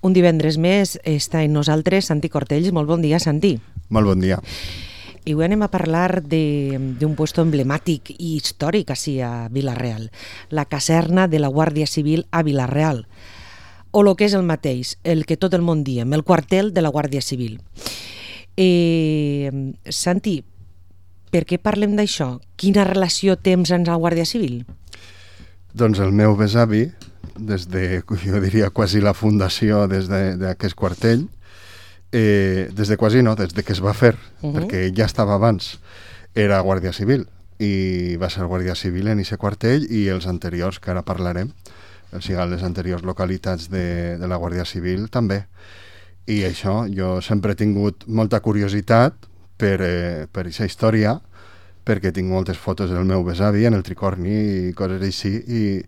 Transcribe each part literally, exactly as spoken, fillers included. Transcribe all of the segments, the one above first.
Un divendres més està amb nosaltres Santi Cortells. Molt bon dia, Santi. Molt bon dia. I avui anem a parlar d'un puesto emblemàtic i històric així a Vila-real, la caserna de la Guàrdia Civil a Vila-real, o el que és el mateix, el que tot el món diem, el quartel de la Guàrdia Civil. Eh, Santi, per què parlem d'això? Quina relació tens amb la Guàrdia Civil? Doncs el meu besavi, des de, jo diria, quasi la fundació des d'aquest quartell, eh, des de quasi no, des de que es va fer, uh -huh. perquè ja estava abans, era Guàrdia Civil, i va ser Guàrdia Civil en aquest quartell i els anteriors, que ara parlarem, o sigui, les anteriors localitats de, de la Guàrdia Civil també. I això, jo sempre he tingut molta curiositat per, eh, per aquesta història, perquè tinc moltes fotos del meu besavi en el tricorni i coses així, i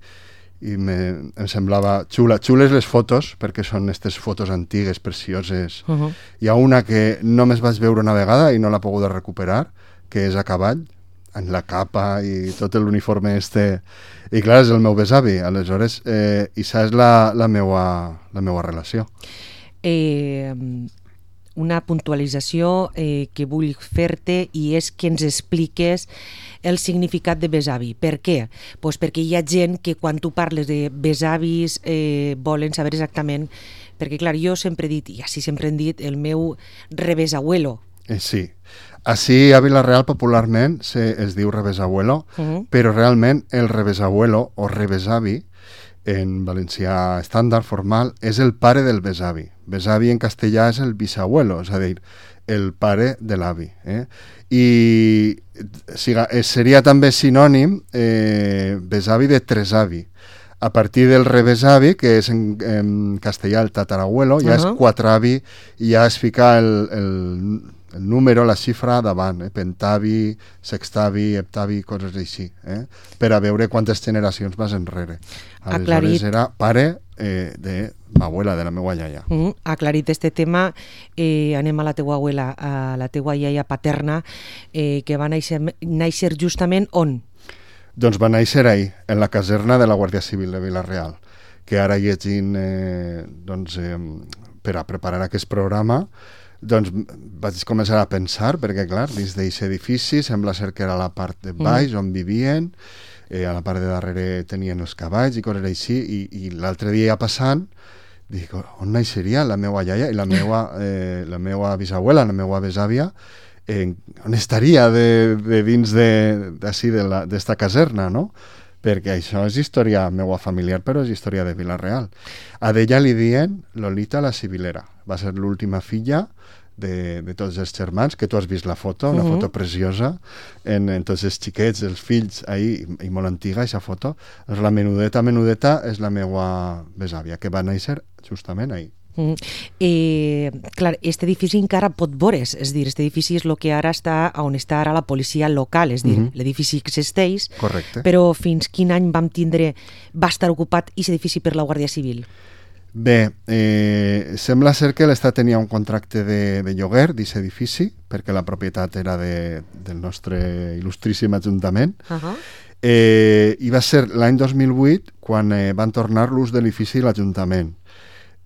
i me, em semblava xula. Xules les fotos, perquè són aquestes fotos antigues, precioses. Uh -huh. Hi ha una que només vaig veure una vegada i no l'he pogut recuperar, que és a cavall, en la capa i tot l'uniforme este. I clar, és el meu besavi. Aleshores, eh, i això és la, la, meua, la meua relació. Eh... Una puntualització eh, que vull fer-te, i és que ens expliques el significat de besavi. Per què? Pues perquè hi ha gent que quan tu parles de besavis eh, volen saber exactament, perquè clar, jo sempre he dit, i així sempre hem dit, el meu rebesabuelo. Eh, sí. Així a Vila-real popularment se, es diu rebesabuelo, uh -huh. però realment el rebesabuelo o rebesavi en valencià estàndard, formal, és el pare del besavi. Besavi en castellà és el bisabuelo, és a dir, el pare de l'avi. Eh? I siga, seria també sinònim eh, besavi de tresavi. A partir del rebesavi, que és en, en castellà el tatarabuelo, ja uh -huh. és quatravi, i ja es fica el, el, el número, la xifra davant, eh? pentavi, sextavi, heptavi, coses així, eh? per a veure quantes generacions vas enrere. Aleshores Aclarit. era pare eh, de l'abuela, de la meva iaia. Uh -huh. Aclarit este tema, eh, anem a la teua abuela, a la teua iaia paterna, eh, que va néixer, néixer justament on? Doncs va néixer ahir, en la caserna de la Guàrdia Civil de Vila-real, que ara llegint eh, doncs, eh, per a preparar aquest programa, doncs vaig començar a pensar, perquè clar, dins d'aquest edifici sembla ser que era la part de baix mm. on vivien, eh, a la part de darrere tenien els cavalls i coses així, i, i l'altre dia passant dic, on naixeria la meva iaia i la meva, eh, la meva bisabuela, la meva besàvia, eh, on estaria de, de dins d'ací d'esta caserna, no? Perquè això és història meua familiar, però és història de Vila-real. A d'ella li diuen Lolita la Civilera. Va ser l'última filla de, de tots els germans, que tu has vist la foto, una uh -huh. foto preciosa, en, en tots els xiquets, els fills, ahí, i, i molt antiga, aquesta foto. Doncs la menudeta, menudeta, és la meua besàvia, que va néixer justament ahí. Mm. Eh, clar, aquest edifici encara pot veure's, és dir, aquest edifici és el que ara està on està ara la policia local, és dir, uh -huh. l'edifici existeix. Correcte. Però fins quin any vam tindre, va estar ocupat aquest edifici per la Guàrdia Civil? Bé, eh, sembla ser que l'Estat tenia un contracte de, de lloguer d'aquest edifici, perquè la propietat era de, del nostre il·lustríssim Ajuntament, uh -huh. eh, i va ser l'any dos mil vuit quan eh, van tornar l'ús de l'edifici a l'Ajuntament.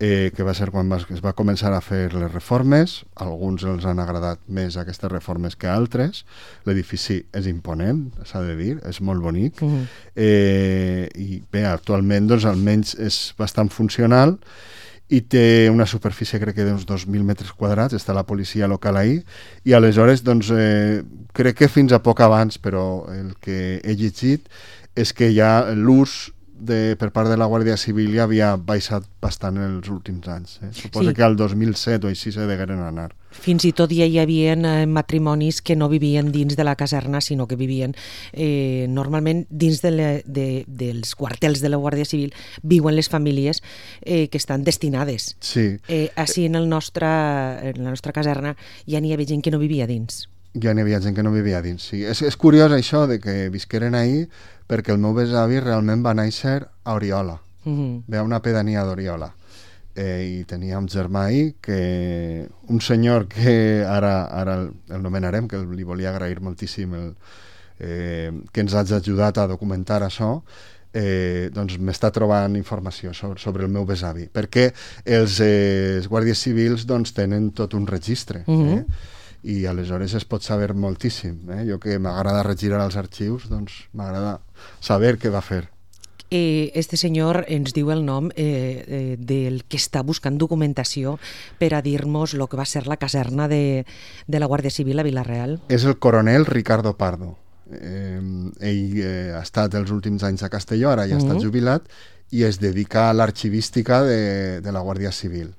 Eh, que va ser quan va, es va començar a fer les reformes. Alguns els han agradat més aquestes reformes que altres. L'edifici és imponent, s'ha de dir, és molt bonic. Mm. Eh, I bé, actualment doncs, almenys és bastant funcional i té una superfície, crec que d'uns dos mil metres quadrats, està la policia local ahí, i aleshores doncs, eh, crec que fins a poc abans, però el que he llegit és que ja l'ús De, per part de la Guàrdia Civil ja havia baixat bastant en els últims anys. Eh? Suposo sí. que al dos mil set o així se degueren anar. Fins i tot ja hi havia eh, matrimonis que no vivien dins de la caserna, sinó que vivien eh, normalment dins de le, de, dels quartels de la Guàrdia Civil, viuen les famílies eh, que estan destinades. Sí. Eh, així en, el nostre, en la nostra caserna ja n'hi havia gent que no vivia dins. Ja n'hi havia gent que no vivia dins, sí. És, és curiós això de que visqueren ahir, perquè el meu besavi realment va néixer a Oriola. Uh-huh. Ve a una pedania d'Oriola. Eh, I tenia un germà ahir, que, un senyor que ara, ara el, el nomenarem, que li volia agrair moltíssim el, eh, que ens hagi ajudat a documentar això, eh, doncs m'està trobant informació sobre, sobre el meu besavi, perquè els, eh, els guàrdies civils doncs, tenen tot un registre, Mhm. eh? I aleshores es pot saber moltíssim. Eh? Jo que m'agrada regirar els arxius, doncs m'agrada saber què va fer. Eh, este senyor ens diu el nom eh, eh, del que està buscant documentació per a dir-nos el que va ser la caserna de, de la Guàrdia Civil a Vila-real. És el coronel Ricardo Pardo. Eh, ell eh, ha estat els últims anys a Castelló, ara ja Mhm. està jubilat, i es dedica a l'arxivística de, de la Guàrdia Civil.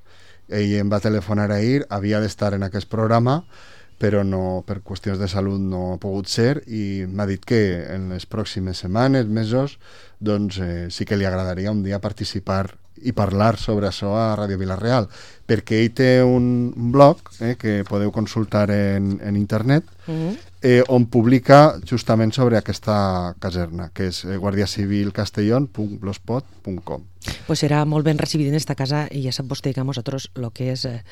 Ell em va telefonar ahir, havia d'estar en aquest programa, però no, per qüestions de salut no ha pogut ser, i m'ha dit que en les pròximes setmanes, mesos, doncs eh, sí que li agradaria un dia participar i parlar sobre això a Ràdio Vila-real, perquè ell té un, un blog eh, que podeu consultar en, en internet, Mhm. eh, on publica justament sobre aquesta caserna, que és eh, guardiacivilcastellón punt blogspot punt com. Pues serà molt ben recibit en esta casa i ja sap vostè que a nosaltres el que és eh,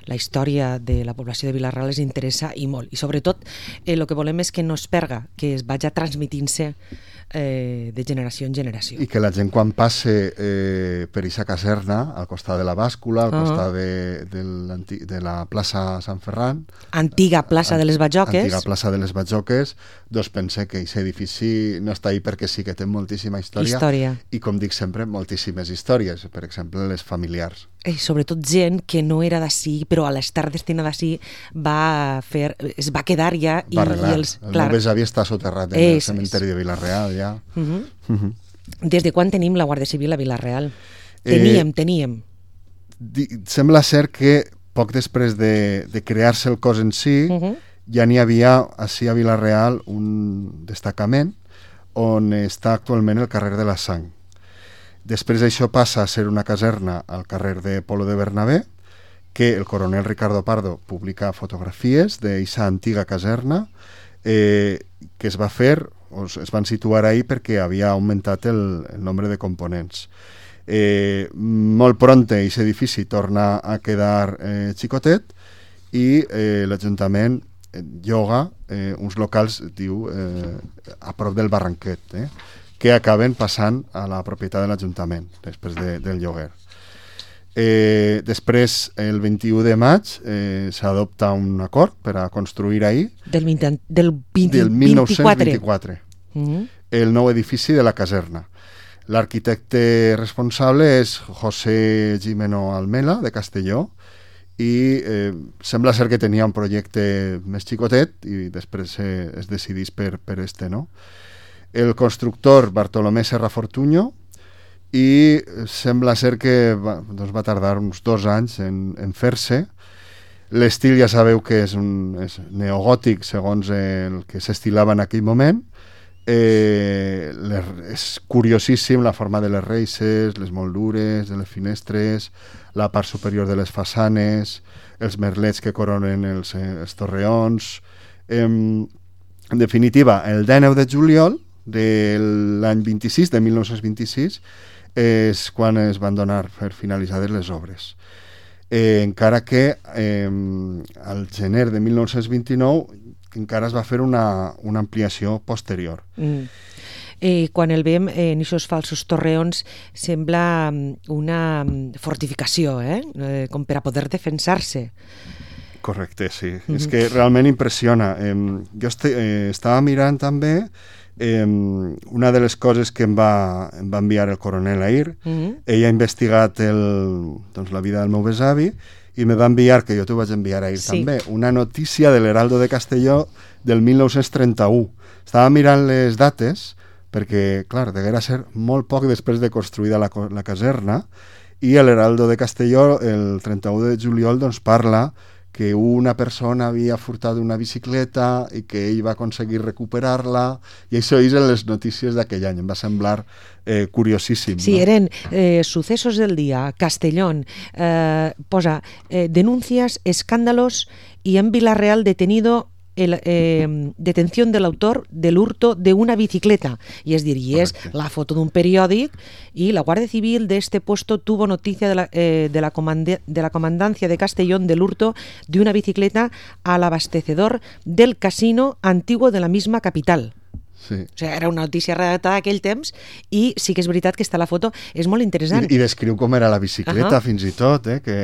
la història de la població de Vila-real ens interessa i molt. I sobretot el eh, que volem és que no es perga, que es vagi transmitint-se eh, de generació en generació. I que la gent quan passe eh, per aquesta caserna, al costat de la bàscula, al Uh-huh. costat de, de, l'anti- de la plaça Sant Ferran, Antiga plaça de les Bajoques. antiga plaça de les Bajoques, doncs pense que aquest edifici no està ahí perquè sí que té moltíssima història, Història. i com dic sempre, moltíssimes històries, per exemple les familiars. I sobretot gent que no era d'ací, però a l'estar destinada d'ací va fer, es va quedar ja i, Va arreglar. i els... El meu besavi està soterrat en el És- cementeri de Vila-real, ja. Uh -huh. Mhm. Des de quan tenim la Guàrdia Civil a Vila-real? Eh, Teníem, teníem. Di- Sembla ser que poc després de, de crear-se el cos en si, Uh -huh. ja n'hi havia així a Vila-real un destacament on està actualment el carrer de la Sang. Després això passa a ser una caserna al carrer de Polo de Bernabé, que el coronel Ricardo Pardo publica fotografies d'aquesta antiga caserna eh, que es va fer, o es van situar ahí perquè havia augmentat el, el nombre de components. Eh, molt pronte aquest edifici torna a quedar eh, xicotet i eh, l'Ajuntament eh, lloga eh, uns locals, diu, eh, a prop del Barranquet, eh, que acaben passant a la propietat de l'Ajuntament després de, del lloguer. Eh, després, el vint-i-u de maig, eh, s'adopta un acord per a construir ahir, Del, vint, del, vint, del mil nou-cents vint-i-quatre. vint-i-quatre, Uh -huh. el nou edifici de la caserna. L'arquitecte responsable és José Gimeno Almela, de Castelló, i eh, sembla ser que tenia un projecte més xicotet i després eh, es decidís per, per este, no? El constructor Bartolomé Serra Fortuño, i sembla ser que va, doncs va tardar uns dos anys en, en fer-se. L'estil ja sabeu que és, un, és neogòtic segons el que s'estilava en aquell moment. Eh, les, és curiosíssim la forma de les reixes, les moldures de les finestres, la part superior de les façanes, els merlets que coronen els, els torreons. Eh, en definitiva, el dinou de juliol de l'any vint-i-sis, de mil nou-cents vint-i-sis, és quan es van donar per finalitzades les obres. Eh, encara que eh, al gener de mil nou-cents vint-i-nou encara es va fer una, una ampliació posterior. Mm. Eh, quan el veiem en aquests falsos torreons sembla una fortificació, eh? Eh, com per a poder defensar-se. Correcte, sí. Mm-hmm. És que realment impressiona. Eh, jo este, eh, estava mirant també eh, una de les coses que em va, em va enviar el coronel ahir. Mm-hmm. Ell ha investigat el, doncs, la vida del meu besavi i me va enviar, que jo t'ho vaig enviar ahir Sí. també, una notícia de l'Heraldo de Castelló del mil nou-cents trenta-u. Estava mirant les dates perquè, clar, deguera ser molt poc després de construïda la, la caserna, i l'Heraldo de Castelló el trenta-u de juliol doncs, parla que una persona havia furtat una bicicleta i que ell va aconseguir recuperar-la, i això és en les notícies d'aquell any. Em va semblar eh, curiosíssim. Sí, no? eren eh, sucesos del día, Castellón, eh, posa eh, denuncias, escándalos y en Vila-real detenido el, eh, detención del autor del hurto de una bicicleta. Y es decir, y es Correcte. la foto de un periódico, y la Guardia Civil de este puesto tuvo noticia de la, eh, de la, comand de la comandancia de Castellón del hurto de una bicicleta al abastecedor del casino antiguo de la misma capital. Sí. O sigui, era una notícia redactada aquell temps i sí que és veritat que està la foto, és molt interessant. I, i descriu com era la bicicleta, uh-huh. fins i tot, eh? Que,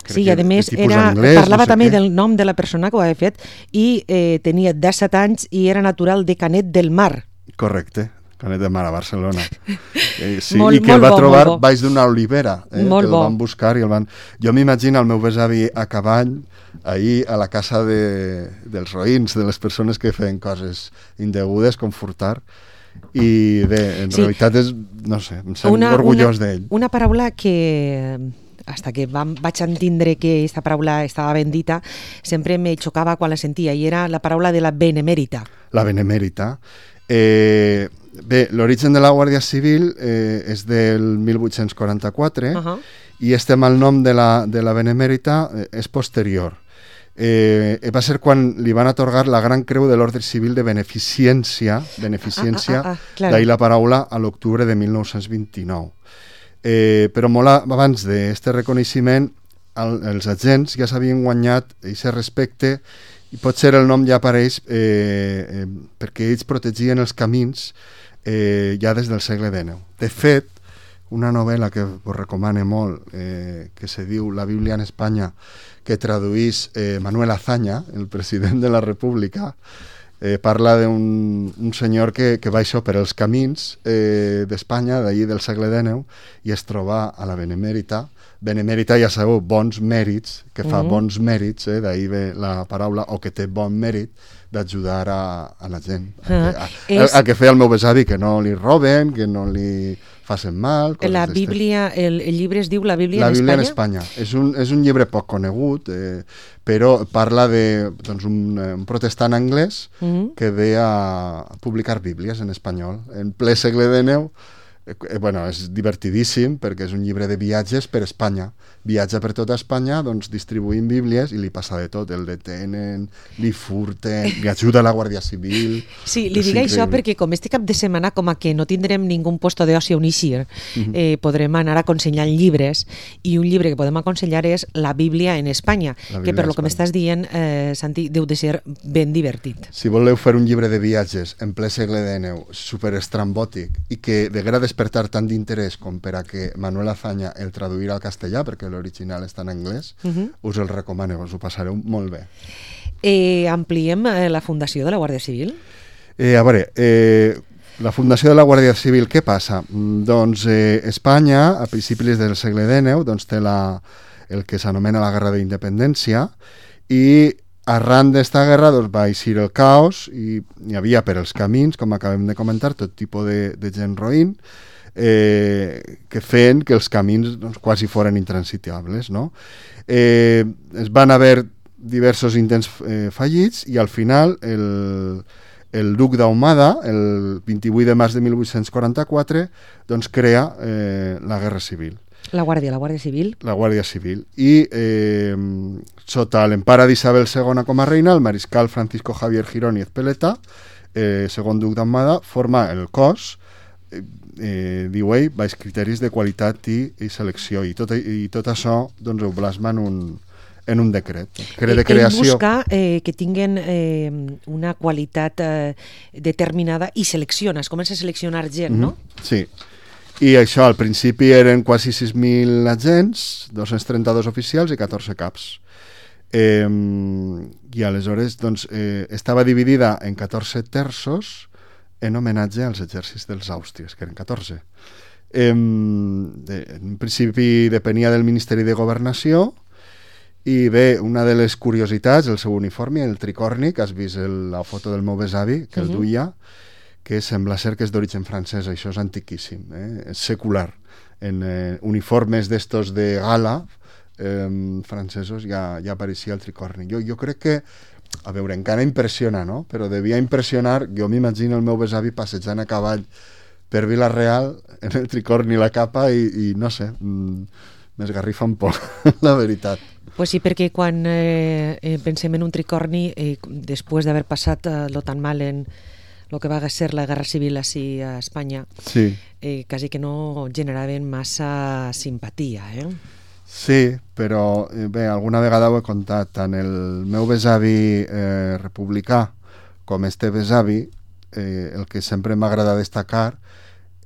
sí, i a més era, anglès, parlava no sé també què. Del nom de la persona que ho havia fet i eh, tenia disset anys i era natural de Canet del Mar. Correcte. Canet de Mar, a Barcelona. Eh, sí, molt, i que el va bo, trobar baix d'una olivera, eh, molt que el bo. van buscar i el van... Jo m'imagino el meu besavi a cavall, ahir a la casa de, dels roïns, de les persones que feien coses indegudes, com furtar, i bé, en sí. realitat és, no sé, em sento una, orgullós d'ell. Una paraula que... hasta que vam, vaig entendre que aquesta paraula estava ben dita, sempre me xocava quan la sentia, i era la paraula de la benemèrita. La benemèrita. Eh, bé, l'origen de la Guàrdia Civil eh, és del mil vuit-cents quaranta-quatre uh-huh. i estem al nom de la, de la benemèrita eh, és posterior. Eh, va ser quan li van atorgar la Gran Creu de l'Ordre Civil de Beneficència, beneficència ah, ah, ah, ah, d'ahir la paraula, a l'octubre de mil nou-cents vint-i-nou. Eh, però molt abans d'aquest reconeixement, el, els agents ja s'havien guanyat aquest respecte i potser el nom ja apareix eh, eh, perquè ells protegien els camins eh, ja des del segle dinou. De fet, una novel·la que us recomano molt, eh, que se diu La Bíblia en Espanya, que traduís eh, Manuel Azaña, el president de la República, eh, parla d'un un senyor que, que va això per els camins eh, d'Espanya, d'allí del segle dinou, i es troba a la Benemèrita. Benemèrita, ja sabeu, bons mèrits, que fa mm. bons mèrits, eh, d'ahir ve la paraula, o que té bon mèrit d'ajudar a, a la gent. A, ah, a, a, a, a que feia el meu besavi, que no li roben, que no li facin mal. La Bíblia, el, el llibre es diu La Bíblia, la en Bíblia Espanya? en Espanya. És un, és un llibre poc conegut, eh, però parla de doncs, un, un protestant anglès mm. que ve a publicar bíblies en espanyol. En ple segle dinou, Eh, bueno, és divertidíssim perquè és un llibre de viatges per Espanya. Viatja per tota Espanya, doncs distribuint bíblies i li passa de tot, el detenen, li furten, li ajuda la Guàrdia Civil. Sí, li dic això perquè com este cap de setmana com a que no tindrem ningú puesto d'oci on eixir, uh-huh. eh, podrem anar aconsellant llibres, i un llibre que podem aconsellar és La Bíblia en Espanya, que per lo que m'estàs dient, eh, Santi, deu de ser ben divertit. Si voleu fer un llibre de viatges en ple segle dinou, superestrambòtic, i que deguera despertar tant d'interès com per a que Manuel Azaña el traduirà al castellà, perquè l'original està en anglès, uh-huh. us el recomano, us ho passareu molt bé. Eh, ampliem eh, la fundació de la Guàrdia Civil? Eh, a veure, eh, la fundació de la Guàrdia Civil, què passa? Doncs eh, Espanya, a principis del segle dinou, doncs, té la, el que s'anomena la Guerra d'Independència, i arran d'esta guerra doncs, va eixir el caos i hi havia per els camins, com acabem de comentar, tot tipus de, de gent roïn, eh, que feien que els camins doncs, quasi foren intransitables. No? Eh, es van haver diversos intents eh, fallits i al final el, el duc d'Ahumada, el vint-i-vuit de març de mil vuit-cents quaranta-quatre, doncs crea eh, la Guerra Civil. La Guàrdia, la Guàrdia Civil. La Guàrdia Civil. I eh, sota l'empara d'Isabel segona com a reina, el mariscal Francisco Javier Girón i Ezpeleta, eh, segon duc d'Ahumada, forma el cos, eh, eh, diu ell, baix criteris de qualitat i, i selecció. I tot, i tot això doncs, ho plasma en un, en un decret. Cre de creació. Ell busca eh, que tinguen eh, una qualitat eh, determinada i selecciona, es comença a seleccionar gent, mm-hmm. no? Sí. I això, al principi eren quasi sis mil agents, dos-cents trenta-dos oficials i catorze caps. Eh, I aleshores doncs, eh, estava dividida en catorze terços en homenatge als exèrcits dels àustries, que eren catorze. Eh, de, en principi depenia del Ministeri de Governació i bé, una de les curiositats, el seu uniforme, el tricorni, que has vist el, la foto del meu besavi, que el duia, que sembla ser que és d'origen francès, això és antiquíssim, eh? És secular. En eh, uniformes d'estos de gala eh, francesos ja, ja apareixia el tricorni. Jo, jo crec que, a veure, encara impressiona, no? Però devia impressionar, jo m'imagino el meu besavi passejant a cavall per Vila-real en el tricorni i la capa i, i no sé, m'esgarrifa un poc, la veritat. Pues sí, perquè quan eh, pensem en un tricorni, eh, després d'haver passat eh, lo tan mal en el que va ser la Guerra Civil així a Espanya, sí. eh, quasi que no generaven massa simpatia, eh? Sí, però bé, alguna vegada ho he contat, tant el meu besavi eh, republicà com este besavi eh, el que sempre m'agrada destacar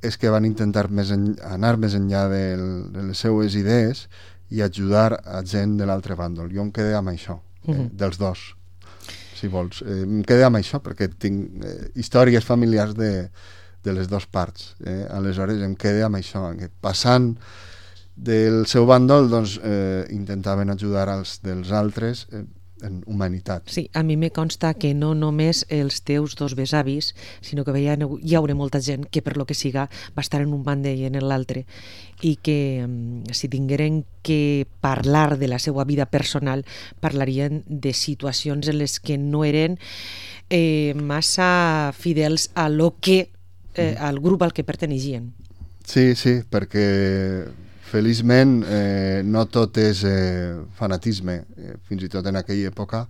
és que van intentar més en, anar més enllà del, de les seues idees i ajudar a gent de l'altre bàndol. Jo em quedé amb això, eh, uh-huh. dels dos, si vols. Eh, em quedé amb això perquè tinc eh, històries familiars de, de les dues parts. Eh? Aleshores em quedé amb això, que passant del seu bàndol, doncs, eh, intentaven ajudar els dels altres eh, en humanitat. Sí, a mi me consta que no només els teus dos besavis, sinó que veia, hi haurà molta gent que per lo que siga va estar en un bàndol i en l'altre, i que si tingueren que parlar de la seva vida personal parlarien de situacions en les que no eren eh, massa fidels a lo que, eh, al grup al que perteneixien. Sí, sí, perquè feliçment eh, no tot és eh, fanatisme, eh, fins i tot en aquella època,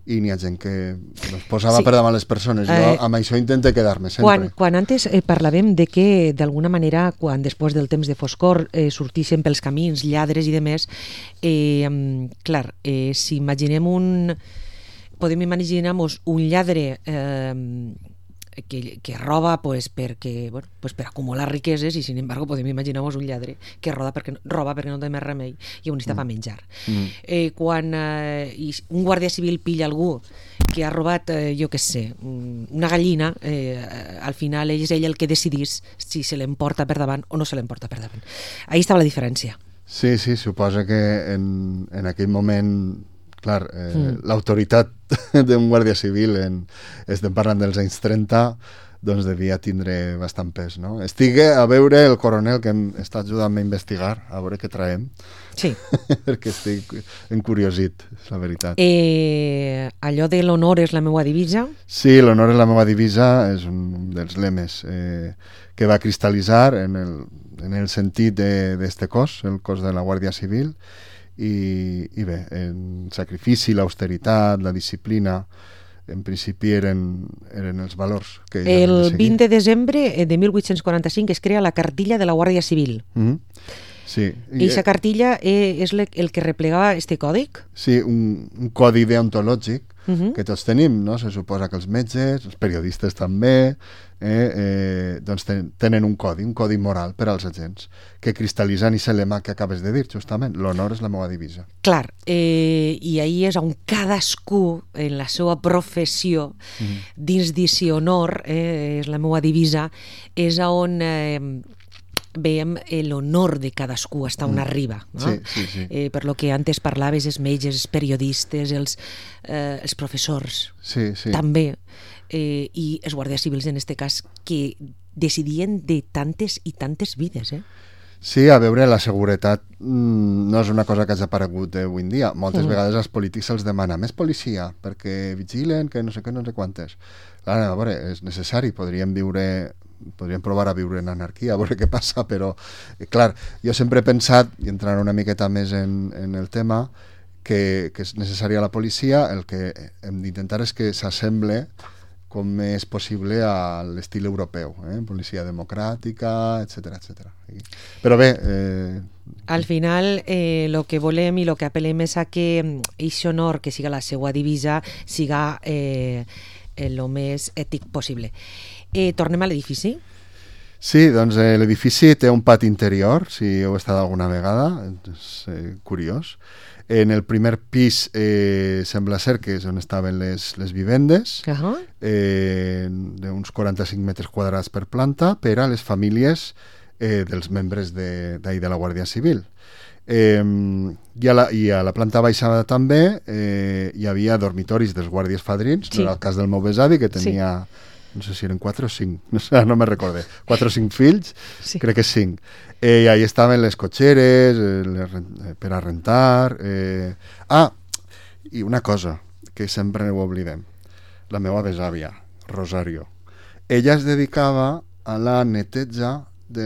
i n'hi ha gent que es posava sí. per davant les persones. Jo eh, amb això intento quedar-me sempre. Quan, quan antes eh, parlàvem de que d'alguna manera, quan després del temps de foscor eh, sortixen pels camins lladres i demés, eh, clar, eh, si imaginem un... podem imaginar-nos un lladre eh, que, que roba pues, perquè, bueno, pues per acumular riqueses, i sin embargo podem imaginar-nos un lladre que roba perquè, roba perquè no té més remei i on està mm. per menjar. Mm. Eh, quan eh, un guàrdia civil pilla algú que ha robat, eh, jo què sé, una gallina, eh, al final és ell el que decidís si se l'emporta per davant o no se l'emporta per davant. Ahí estava la diferència. Sí, sí, suposa que en, en aquell moment... Clar, eh, mm. l'autoritat d'un guàrdia civil, en, estem parlant dels anys trenta, doncs devia tindre bastant pes, no? Estic a veure el coronel que em està ajudant a investigar, a veure què traiem. Sí. Perquè estic encuriosit, és la veritat. Eh, allò de l'honor és la meva divisa? Sí, l'honor és la meva divisa, és un dels lemes eh, que va cristal·litzar en el, en el sentit d'este cos, el cos de la Guàrdia Civil. I, i bé, el sacrifici, l'austeritat, la disciplina, en principi eren, eren els valors que el de vint de desembre de mil vuit-cents quaranta-cinc es crea la cartilla de la Guàrdia Civil. Mm-hmm. Sí. I aquesta cartilla és el que replegava este còdic? Sí, un, un codi deontològic uh-huh. que tots tenim, no? Se suposa que els metges, els periodistes també, eh, eh, doncs ten, tenen un codi, un codi moral per als agents, que cristal·litzen i el lema que acabes de dir, justament, l'honor és la meva divisa. Clar, eh, i ahí és on cadascú, en la seva professió, uh-huh. dins d'eixe honor, eh, és la meva divisa, és on... Eh, veiem l'honor de cadascú hasta on arriba, no? Sí, sí, sí. Eh, per lo que antes parlaves, els metges, els periodistes, els, eh, els professors, sí, sí. també, eh, i els guàrdies civils en aquest cas, que decidien de tantes i tantes vides, eh? Sí, a veure, la seguretat mmm, no és una cosa que hagi aparegut avui en dia. Moltes mm. vegades als polítics se'ls demana més policia, perquè vigilen, que no sé què, no sé quantes. Clar, a veure, és necessari, podríem viure... podríem provar a viure en anarquia, a veure què passa, però, eh, clar, jo sempre he pensat, i entrant una miqueta més en, en el tema, que, que és necessària la policia, el que hem d'intentar és que s'assemble com és possible a l'estil europeu, eh? Policia democràtica, etcètera, etcètera. Però bé... Eh... Al final, eh, lo que volem i lo que apel·lem és a que aquest honor, que siga la seva divisa, siga eh, el més ètic possible. Eh, tornem a l'edifici? Sí, doncs eh, l'edifici té un pati interior, si heu estat alguna vegada, és eh, curiós. En el primer pis eh, sembla ser que és on estaven les, les vivendes, uh-huh. eh, d'uns quaranta-cinc metres quadrats per planta, per a les famílies eh, dels membres de, de, de la Guàrdia Civil. Eh, i, a la, I a la planta baixada també eh, hi havia dormitoris dels guàrdies fadrins, sí. No era el cas del meu besavi, que tenia... Sí. No sé si eren quatre o cinc, no sé, no me recorde. Quatre o cinc fills, sí. Crec que cinc. Eh, I ahí estaven les cotxeres eh, les, eh, per a rentar. Eh... Ah, i una cosa que sempre no ho oblidem. La meva besàvia, Rosario. Ella es dedicava a la neteja de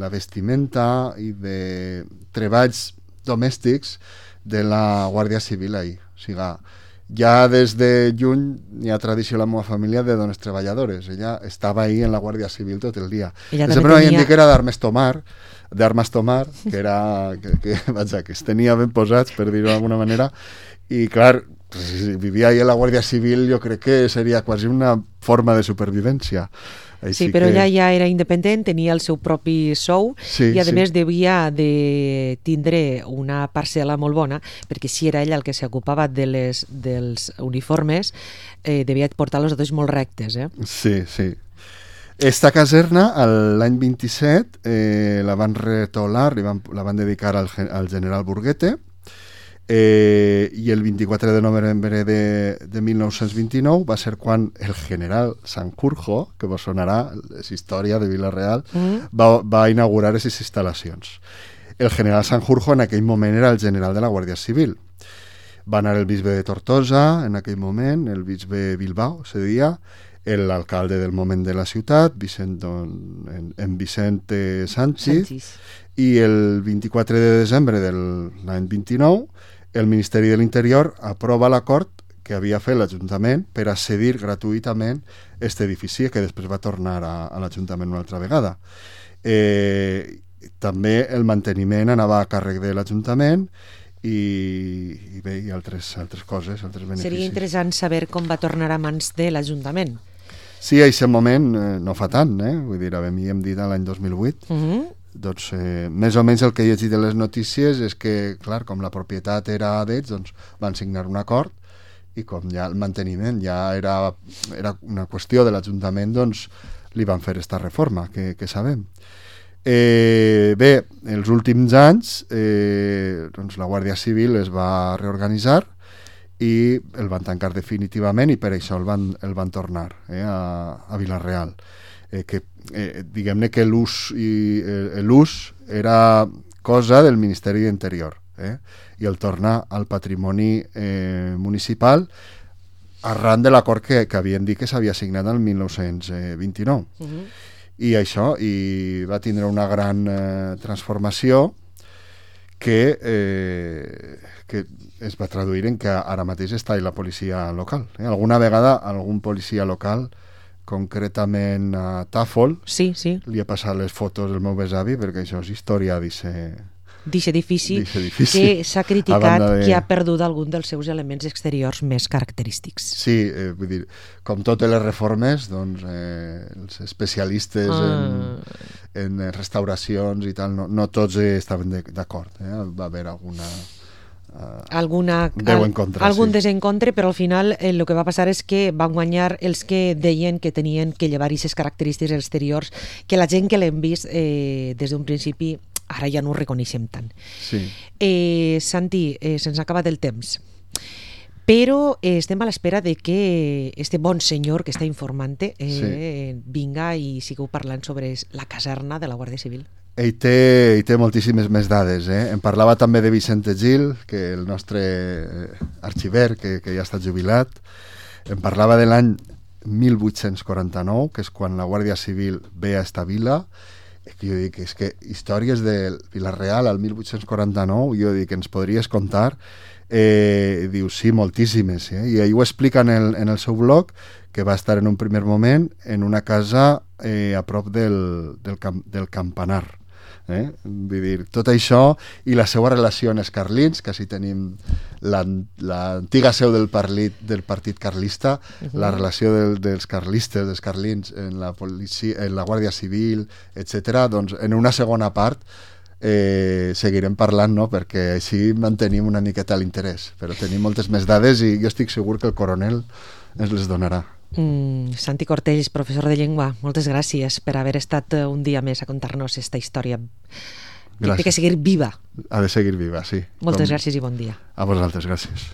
la vestimenta i de treballs domèstics de la Guàrdia Civil ahí. O sigui, ja des de juny hi ha tradició a la meva família de dones treballadores. Ella estava ahí en la Guàrdia Civil tot el dia. Ella sempre tenia... m'havien dit que era d'armes tomar, d'armes tomar, que era que, que, vaja, que es tenia ben posats, per dir-ho d'alguna manera, i clar, si vivia ahí a la Guàrdia Civil, jo crec que seria quasi una forma de supervivència. Així sí, però que... ella ja era independent, tenia el seu propi sou sí, i a sí. més devia de tindre una parcel·la molt bona, perquè si era ella el que s'ocupava de les, dels uniformes, eh, devia portar les dotes molt rectes. Eh? Sí, sí. Esta caserna, l'any vint-i-set, eh, la van retolar, van, la van dedicar al, al general Burguete, Eh, i el vint-i-quatre de novembre de, de mil nou-cents vint-i-nou va ser quan el general Sanjurjo, que vos sonarà, és història de Vila-real, mm. va, va inaugurar aquestes instal·lacions. El general Sanjurjo en aquell moment era el general de la Guàrdia Civil. Va anar el bisbe de Tortosa en aquell moment, el bisbe Bilbao, se deia, l'alcalde del moment de la ciutat, Vicent, en, en Vicente Sánchez, Sánchez, i el vint-i-quatre de desembre de l'any vint-i-nou el Ministeri de l'Interior aprova l'acord que havia fet l'Ajuntament per a cedir gratuïtament aquest edifici, que després va tornar a, a l'Ajuntament una altra vegada. Eh, també el manteniment anava a càrrec de l'Ajuntament i, i bé, i altres, altres coses, altres beneficis. Seria interessant saber com va tornar a mans de l'Ajuntament. Sí, a aquest moment eh, no fa tant, eh? Vull dir, a mi hem dit l'any dos mil vuit. Uh-huh. Doncs eh, més o menys el que he llegit de les notícies és que, clar, com la propietat era d'ells, doncs van signar un acord i com ja el manteniment ja era, era una qüestió de l'Ajuntament, doncs li van fer aquesta reforma, que, que sabem. Eh, bé, els últims anys eh, doncs la Guàrdia Civil es va reorganitzar i el van tancar definitivament i per això el van, el van tornar eh, a, a Vila-real. Eh, que eh, diguem-ne que l'ús i eh, l'ús era cosa del Ministeri d'Interior eh? I el tornar al patrimoni eh, municipal arran de l'acord que, que havien dit que s'havia signat el mil nou-cents vint-i-nou. Uh-huh. I això, i va tindre una gran eh, transformació que, eh, que es va traduir en que ara mateix està la policia local. Eh? Alguna vegada algun policia local, concretament a Tàfol, sí, sí. li he passat les fotos del meu besavi perquè això és història d'aquest edifici que s'ha criticat de... que ha perdut algun dels seus elements exteriors més característics. Sí, eh, vull dir, com totes les reformes, doncs eh, els especialistes ah. en, en restauracions i tal, no, no tots estaven d'acord. Eh? Va haver alguna... Uh, alguna, encontre, algun sí. desencontre, però al final eh, el que va passar és que van guanyar els que deien que tenien que llevar aquestes característiques exteriors, que la gent que l'hem vist eh, des d'un principi ara ja no ho reconeixem tant. Sí. Eh, Santi, eh, se'ns ha acabat el temps, però eh, estem a l'espera de que este bon senyor que està informant-te eh, sí. vinga i sigueu parlant sobre la caserna de la Guàrdia Civil. Ell té, ell té moltíssimes més dades. Eh? Em parlava també de Vicente Gil, que el nostre arxiver, que, que ja està jubilat. Em parlava de l'any mil vuit-cents quaranta-nou, que és quan la Guàrdia Civil ve a esta vila. Jo dic, és que històries de Vila-real al mil vuit-cents quaranta-nou, jo dic, ens podries contar? Eh, diu, sí, moltíssimes. Eh? I ell ho explica en el, en el seu blog, que va estar en un primer moment en una casa eh, a prop del, del, camp, del campanar. Eh? Vull dir, tot això i la seva relació amb els carlins, que així tenim l'antiga seu del partit, del partit carlista, uh-huh. la relació del, dels carlistes, dels carlins en la, policia, en la Guàrdia Civil, etcètera. Doncs en una segona part eh, seguirem parlant, no? Perquè així mantenim una miqueta l'interès, però tenim moltes més dades i jo estic segur que el coronel ens les donarà. Mm, Santi Cortells, professor de llengua, moltes gràcies per haver estat un dia més a contar-nos aquesta història. Gràcies. Té que seguir viva. Ha de seguir viva, sí. Moltes Com... gràcies i bon dia. A vosaltres, gràcies.